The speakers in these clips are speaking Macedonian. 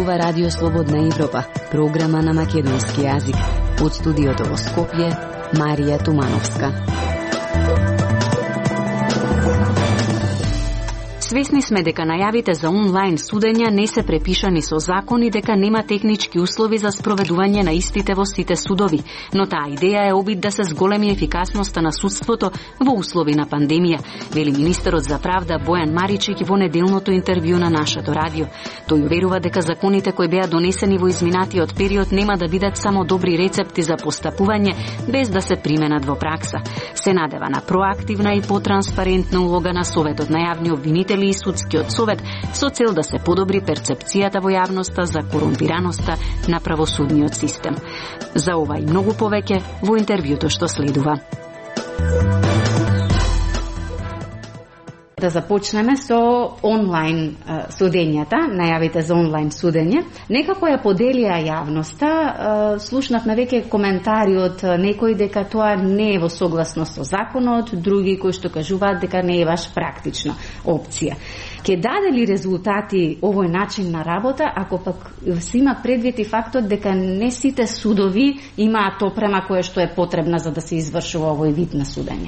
зборува Радио Слободна Европа, програма на македонски јазик. Од студиото во Скопје, Марија Тумановска. Свесни сме дека најавите за онлайн судења не се препишани со закон и дека нема технички услови за спроведување на истите во сите судови, но таа идеја е обид да се зголеми ефикасноста на судството во услови на пандемија, вели министерот за правда Бојан Маричек во неделното интервју на нашето радио. Тој уверува дека законите кои беа донесени во изминатиот период нема да бидат само добри рецепти за постапување без да се применат во пракса. Се надева на проактивна и потранспарентна улога на Советот на јавни обвинители и Судскиот совет со цел да се подобри перцепцијата во јавноста за корумпираноста на правосудниот систем. За ова и многу повеќе во интервјуто што следува. Да започнеме со онлайн судењата, најавите за онлайн судење. Некако ја поделија јавноста, слушнавме веќе коментари од некои дека тоа не е во согласност со законот, други кои што кажуваат дека не е баш практична опција. Ке даде ли резултати овој начин на работа, ако пак се има предвид и фактот дека не сите судови имаат опрема која што е потребна за да се извршува овој вид на судење?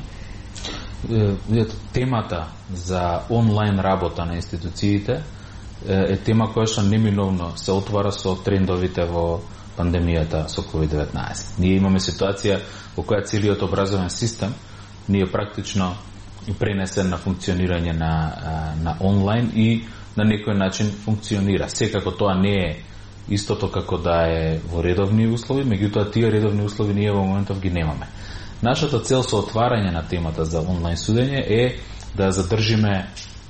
Темата за онлайн работа на институциите е тема која што неминовно се отвара со трендовите во пандемијата со COVID-19. Ние имаме ситуација во која целиот образовен систем ни е практично пренесен на функционирање на онлайн и на некој начин функционира. Секако тоа не е истото како да е во редовни услови, меѓутоа тие редовни услови ние во моментов ги немаме. Нашата цел со отварање на темата за онлайн судење е да задржиме,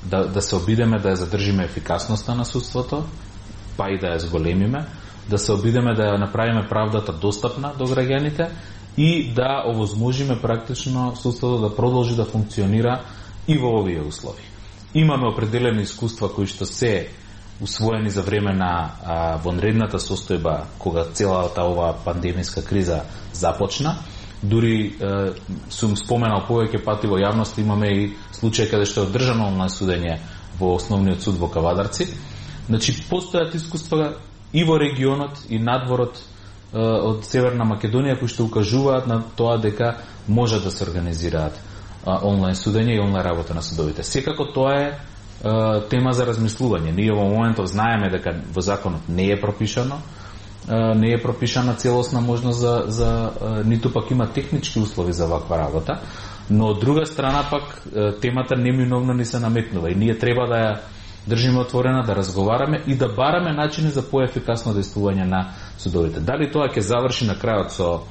да се обидеме да ја задржиме ефикасноста на судството, па и да ја зголемиме, да се обидеме да ја направиме правдата достапна до граѓаните и да овозможиме практично судството да продолжи да функционира и во овие услови. Имаме определени искуства кои што се усвоени за време на вонредната состојба кога целата оваа пандемиска криза започна. Дури сум споменал повеќе пати во јавност, имаме и случај каде што е одржано онлайн судење во Основниот суд во Кавадарци. Значи, постојат искуства и во регионот и надворот од Северна Македонија кои што укажуваат на тоа дека може да се организираат онлайн судење и онлайн работа на судовите. Секако тоа е тема за размислување. Ние во моментов знаеме дека во законот не е пропишана целосна можност за ниту пак има технички услови за ваква работа, но од друга страна пак темата неминовно ни се наметнува и ние треба да ја држиме отворена, да разговараме и да бараме начини за поефикасно действување на судовите. Дали тоа ќе заврши на крајот со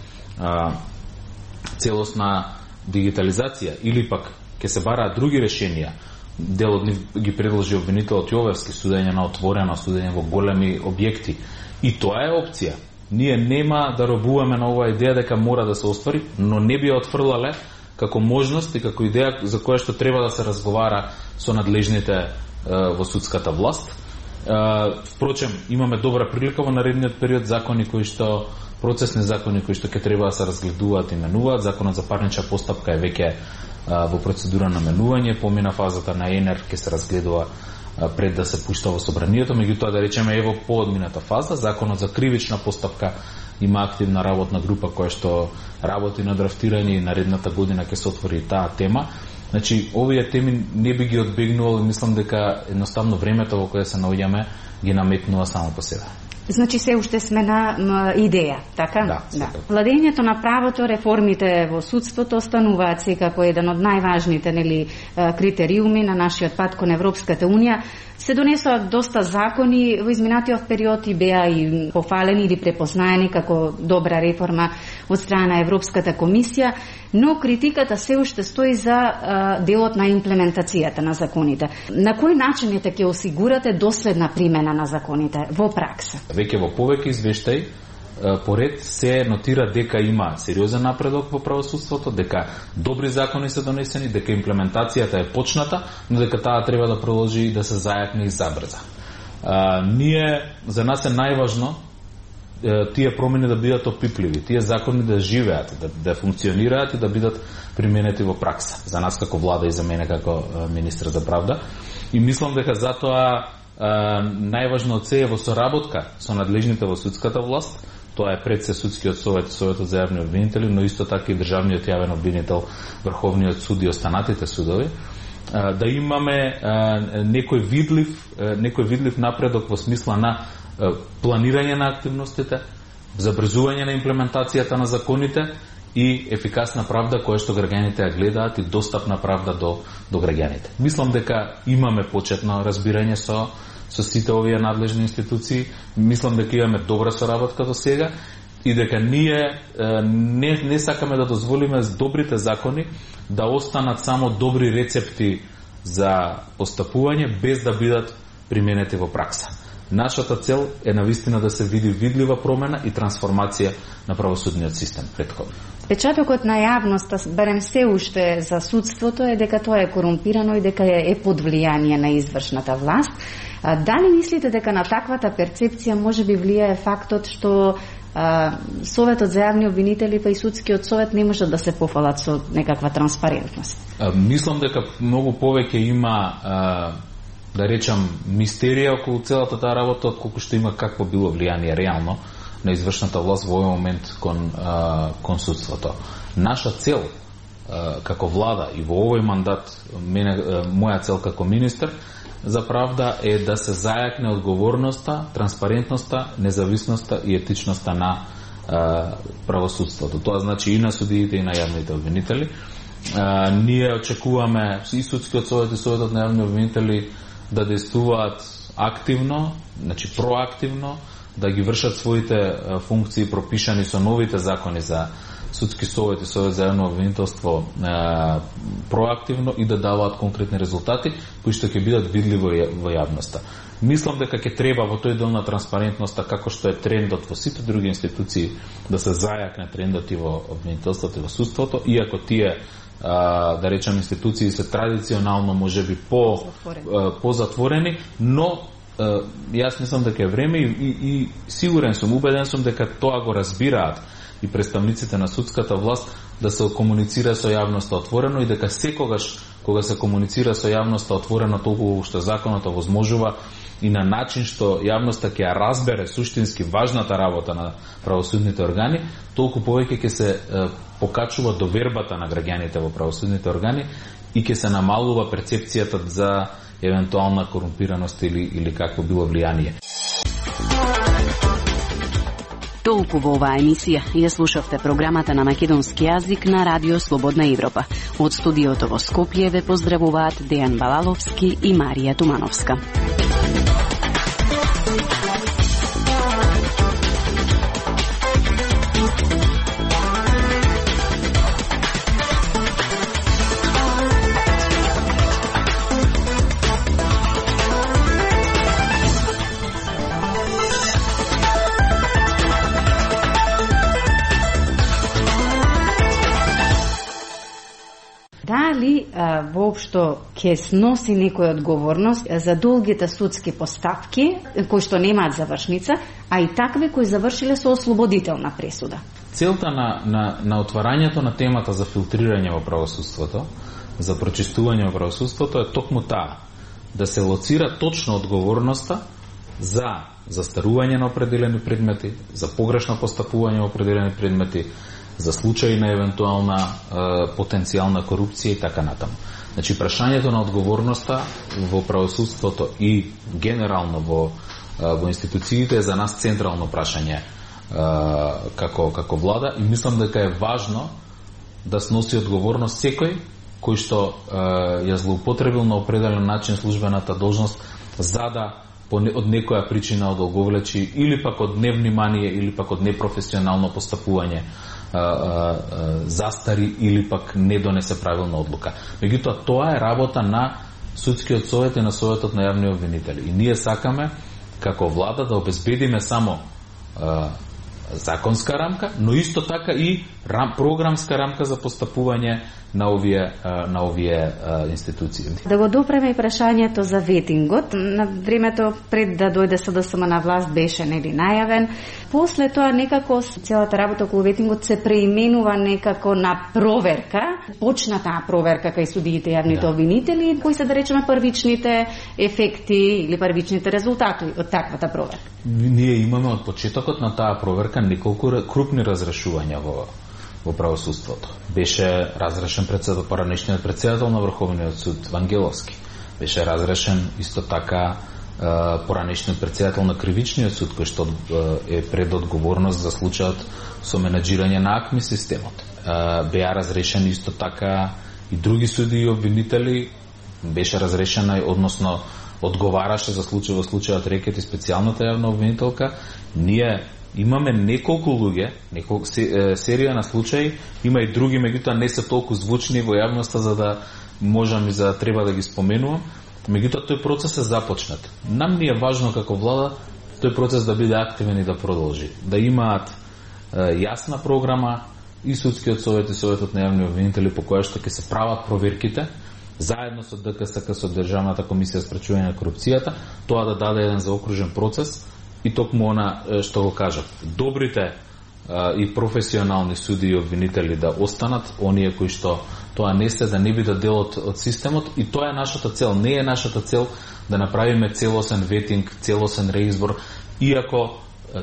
целосна дигитализација или пак ќе се бараат други решенија, дел од нив ги предложи обвинителот Јовевски, судење на отворено, судење во големи објекти. И тоа е опција. Ние нема да робуваме на оваа идеја дека мора да се оствари, но не би ја отфрлале како можност и како идеја за која што треба да се разговара со надлежните во судската власт. Впрочем, имаме добра прилика во наредниот период, закони кои што процесни закони кои што ќе треба да се разгледуваат и менуваат. Законот за парнична постапка е веќе во процедура на менување, помина фазата на ЕНЕР ќе се разгледува пред да се пушта во собранието, меѓутоа да речеме ево поодмината фаза, законот за кривична постапка има активна работна група која што работи на драфтирање и наредната година ќе се отвори таа тема. Значи, овие теми не би ги одбегнувал и мислам дека едноставно времето во кое се наоѓаме ги наметнува само по себе. Значи се уште сме на идеја, така? Да. Владењето на правото, реформите во судството остануваат секако еден од најважните критериуми на нашиот пат кон Европската Унија. Се донесоа доста закони во изминатиот период и беа и пофалени или препознаени како добра реформа од страна на Европската комисија, но критиката се уште стои за делот на имплементацијата на законите. На кој начин ќе осигурате доследна примена на законите во пракса? Веќе во повеќе извештаи поред се нотира дека има сериозен напредок во правосудството, дека добри закони се донесени, дека имплементацијата е почната, но дека таа треба да продолжи и да се зајакне и забрза. За нас е најважно тие промени да бидат опипливи, тие закони да живеат, да функционираат и да бидат применети во пракса. За нас како влада и за мене како министр за правда. И мислам дека затоа најважно од се е во соработка со надлежните во судската власт. Тоа е пред се судскиот совет, советот за јавни обвинители, но исто така и државниот јавен обвинител, Врховниот суд и останатите судови, да имаме некој видлив напредок во смисла на планирање на активностите, забрзување на имплементацијата на законите и ефикасна правда која што граѓаните ја гледаат и достапна правда до граѓаните. Мислам дека имаме почетно разбирање со сите овие надлежни институции. Мислам дека имаме добра соработка до сега и дека ние не сакаме да дозволиме добрите закони да останат само добри рецепти за постапување без да бидат применети во пракса. Нашата цел е навистина да се види видлива промена и трансформација на правосудниот систем претходно. Печатокот на јавноста, барем се уште за судството, е дека тоа е корумпирано и дека е под влијание на извршната власт. Дали мислите дека на таквата перцепција може би влијае фактот што Советот за јавни обвинители па и судскиот совет не можат да се пофалат со некаква транспарентност? Мислам дека многу повеќе има да речам мистерија околу целата таа работа, отколку што има какво било влијание реално на извршната власт во овој момент кон судството. Наша цел како влада и во овој мандат, моја цел како министер за правда е да се зајакне одговорноста, транспарентноста, независноста и етичноста на правосудството. Тоа значи и на судиите и на јавните обвинители. Ние очекуваме и судскиот совет и советот на јавни обвинители да действуваат активно, значи проактивно, да ги вршат своите функции пропишани со новите закони за судски совет и совет за јавно обвинителство проактивно и да даваат конкретни резултати кои што ќе бидат видливи во јавноста. Мислам дека ќе треба во тој дел на транспарентноста, како што е трендот во сите други институции, да се зајакне трендот и во обвинителството и во судството, иако тие да речем институции се традиционално можеби по-затворени, но јас мислам дека е време и сигурен сум, убеден сум дека тоа го разбираат и представниците на судската власт, да се комуницира со јавноста отворено и дека секогаш кога се комуницира со јавноста отворено толку што законот овозможува и на начин што јавноста ќе ја разбере суштински важната работа на правосудните органи, толку повеќе ќе се покачува довербата на граѓаните во правосудните органи и ќе се намалува перцепцијата за евентуална корумпираност или какво било влијание. Толку во оваа емисија ја слушавте програмата на македонски јазик на Радио Слободна Европа. Од студиото во Скопје ве поздравуваат Дејан Балаловски и Марија Тумановска. Дали воопшто ќе сноси некој одговорност за долгите судски постапки кои што немаат завршница, а и такви кои завршиле со ослободителна пресуда? Целта на отварањето на темата за филтрирање во правосудството, за прочистување во правосудството е токму таа, да се лоцира точно одговорноста за застарување на определени предмети, за погрешно постапување во определени предмети, за случаи на евентуална потенцијална корупција и така натаму. Значи, прашањето на одговорноста во правосудството и генерално во институциите е за нас централно прашање како влада и мислам дека е важно да сноси одговорност секој кој што ја злоупотребил на определен начин службената должност за да од некоја причина одолговлечи или пак од невнимание или пак од непрофесионално постапување застари или пак не донесе правилна одлука. Меѓутоа, тоа е работа на судскиот совет и на советот на јавни обвинители. И ние сакаме, како влада, да обезбедиме само законска рамка, но исто така и програмска рамка за постапување на овие институции. Да го допреме и прашањето за ветингот. На времето пред да дојде СДСМ на власт беше најавен. После тоа некако целата работа околу ветингот се преименува некако на проверка. Почна таа проверка кај судиите и јавните обвинители, кои се да речеме првичните ефекти или првичните резултати од таквата проверка. Ние имаме од почетокот на таа проверка неколку крупни разрешувања во правосудството. Беше разрешен поранешниот председател на Врховниот суд Вангеловски. Беше разрешен исто така поранешниот председател на Кривичниот суд, кој што е пред одговорност за случајот со менаџирање на АКМИ системот. Беа разрешени исто така и други суди и обвинители. Беше разрешена, односно одговараше за случајот Рекет и специјалната јавна обвинителка. Ние имаме неколку луѓе, серија на случаи, има и други, меѓутоа не се толку звучни во јавноста за да можам и за да треба да ги споменувам. Меѓутоа тој процес е започнат. Нам ни е важно како влада тој процес да биде активен и да продолжи. Да имаат јасна програма и судскиот совет и советот на јавни обвинители по која што ќе се прават проверките, заедно со ДКСК, со Државната комисија за спречување на корупцијата, тоа да даде еден заокружен процес. И токму она што го кажав, добрите и професионални суди и обвинители да останат, оние кои што тоа не се, да не бидат дел од системот, и тоа е нашата цел. Не е нашата цел да направиме целосен ветинг, целосен реизбор, иако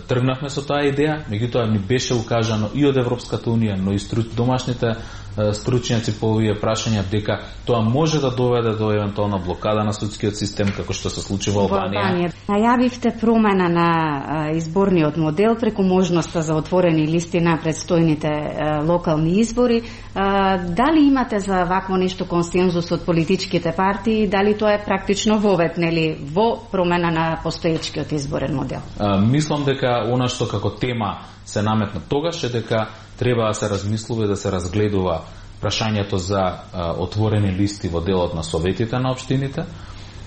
тргнавме со таа идеја, меѓутоа ни беше укажано и од Европската унија, но и домашните стручњаци по овие прашања дека тоа може да доведе до евентуална блокада на судскиот систем, како што се случи во Албанија. Најавивте промена на изборниот модел преку можноста за отворени листи на предстојните локални избори. Дали имате за вакво нешто консензус од политичките партии, дали тоа е практично вовет, нели, во промена на постоечкиот изборен модел? Мислам дека она што како тема се наметна тогаш е дека треба да се размислува и да се разгледува прашањето за отворени листи во делот на советите на општините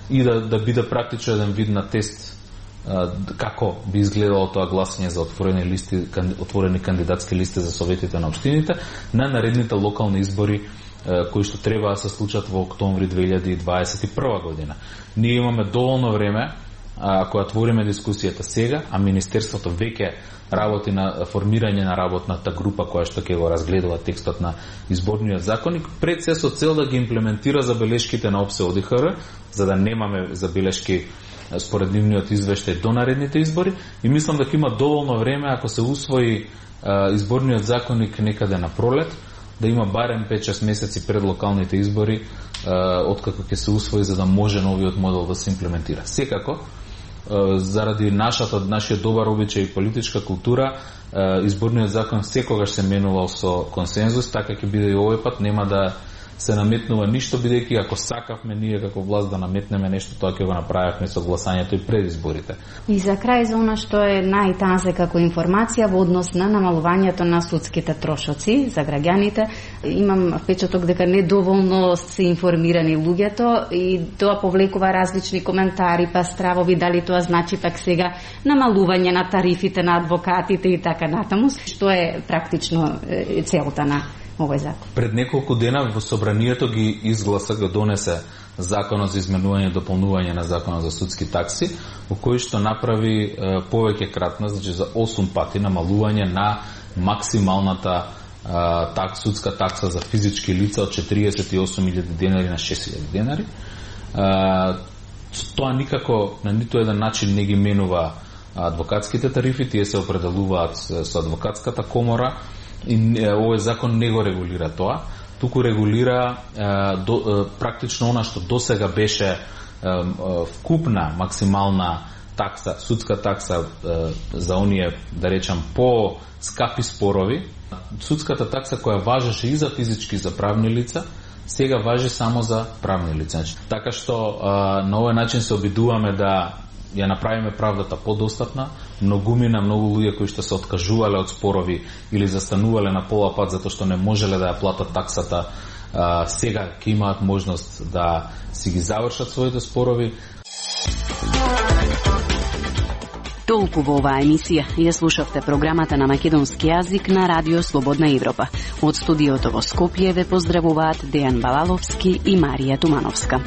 и да биде практично еден вид на тест како би изгледало тоа гласање за отворени листи, отворени кандидатски листи за советите на општините на наредните локални избори кои што треба да се случат во октомври 2021 година. Ние имаме доволно време, ако отвориме дискусијата сега, а Министерството веќе работи на формирање на работната група која што ќе го разгледува текстот на изборниот законник, пред се со цел да ги имплементира забелешките на ОПСЕ ОДИХР, за да немаме забелешки според нивниот извештај до наредните избори, и мислам дека има доволно време, ако се усвои изборниот законник некаде на пролет, да има барем 5-6 месеци пред локалните избори откако ќе се усвои, за да може новиот модел да се имплементира. Секако, заради нашиот добар обичај и политичка култура, изборниот закон секогаш се менувал со консензус, така ќе биде и овој пат, нема да се наметнува ништо, бидејќи ако сакавме ние како власт да наметнеме нешто, тоа ќе го направивме со гласањето и пред изборите. И за крај, за она што е најтазе како информација во однос на намалувањето на судските трошоци за граѓаните, имам впечаток дека недоволно се информирани луѓето и тоа повлекува различни коментари, па стравови, дали тоа значи пак сега намалување на тарифите на адвокатите и така натаму, што е практично целта на овој закон. Пред неколку дена во собранието ги изгласа, го донесе законот за изменување и дополнување на законот за судски такси, во кој што направи повеќе кратна, значи за 8 пати намалување на максималната судска такса за физички лица од 48.000 денари на 6.000 денари. Тоа никако на ниту еден начин не ги менува адвокатските тарифи, тие се определуваат со адвокатската комора, и овој закон не го регулира тоа, туку регулира практично она што досега беше вкупна максимална такса, судска такса за оние, да речам, по скапи спорови. Судската такса која важеше и за физички и за правни лица, сега важи само за правни лица. Така што на овој начин се обидуваме да ја направиме правдата подостапна. Многу луѓе кои што се откажувале од спорови или застанувале на пола пат затоа што не можеле да ја платат таксата, сега ќе имаат можност да си ги завршат своите спорови. Толку во оваа емисија. Ја слушавте програмата на македонски јазик на Радио Слободна Европа. Од студиото во Скопје ве поздравуваат Дејан Балаловски и Марија Тумановска.